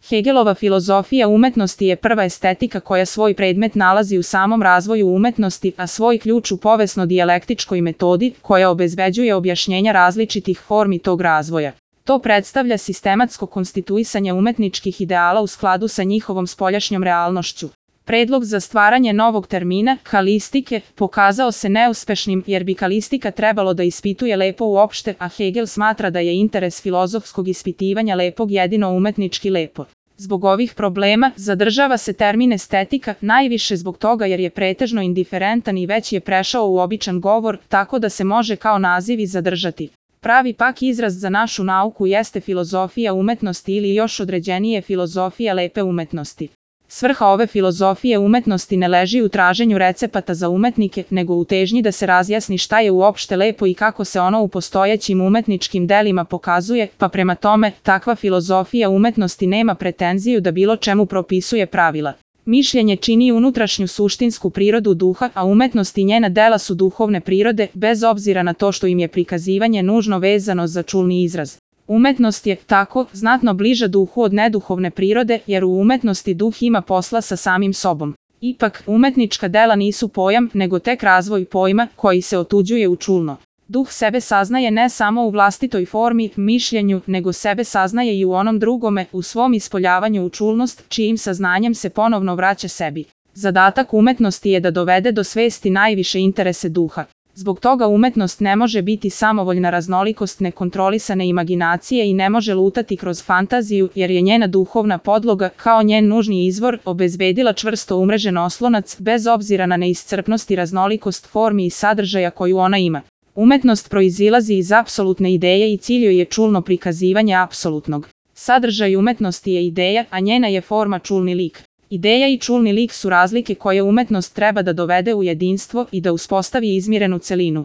Hegelova filozofija umetnosti je prva estetika koja svoj predmet nalazi u samom razvoju umetnosti, a svoj ključ u povesno-dijalektičkoj metodi koja obezbeđuje objašnjenja različitih formi tog razvoja. To predstavlja sistematsko konstituisanje umetničkih ideala u skladu sa njihovom spoljašnjom realnošću. Predlog za stvaranje novog termina, kalistike, pokazao se neuspešnim jer bi kalistika trebalo da ispituje lepo uopšte, a Hegel smatra da je interes filozofskog ispitivanja lepog jedino umetnički lepo. Zbog ovih problema zadržava se termin estetika, najviše zbog toga jer je pretežno indiferentan i već je prešao u običan govor, tako da se može kao naziv i zadržati. Pravi pak izraz za našu nauku jeste filozofija umetnosti ili još određenije filozofija lepe umetnosti. Svrha ove filozofije umetnosti ne leži u traženju recepata za umetnike, nego u težnji da se razjasni šta je uopšte lepo i kako se ono u postojećim umetničkim delima pokazuje, pa prema tome, takva filozofija umetnosti nema pretenziju da bilo čemu propisuje pravila. Mišljenje čini unutrašnju suštinsku prirodu duha, a umetnost i njena dela su duhovne prirode, bez obzira na to što im je prikazivanje nužno vezano za čulni izraz. Umetnost je, tako, znatno bliža duhu od neduhovne prirode, jer u umetnosti duh ima posla sa samim sobom. Ipak, umetnička dela nisu pojam, nego tek razvoj pojma, koji se otuđuje u čulno. Duh sebe saznaje ne samo u vlastitoj formi, mišljenju, nego sebe saznaje i u onom drugome, u svom ispoljavanju u čulnost, čijim saznanjem se ponovno vraća sebi. Zadatak umetnosti je da dovede do svesti najviše interese duha. Zbog toga umetnost ne može biti samovoljna raznolikost nekontrolisane imaginacije i ne može lutati kroz fantaziju, jer je njena duhovna podloga, kao njen nužni izvor, obezbedila čvrsto umrežen oslonac, bez obzira na neiscrpnost i raznolikost formi i sadržaja koju ona ima. Umetnost proizilazi iz apsolutne ideje i cilj joj je čulno prikazivanje apsolutnog. Sadržaj umetnosti je ideja, a njena je forma čulni lik. Ideja i čulni lik su razlike koje umetnost treba da dovede u jedinstvo i da uspostavi izmirenu celinu.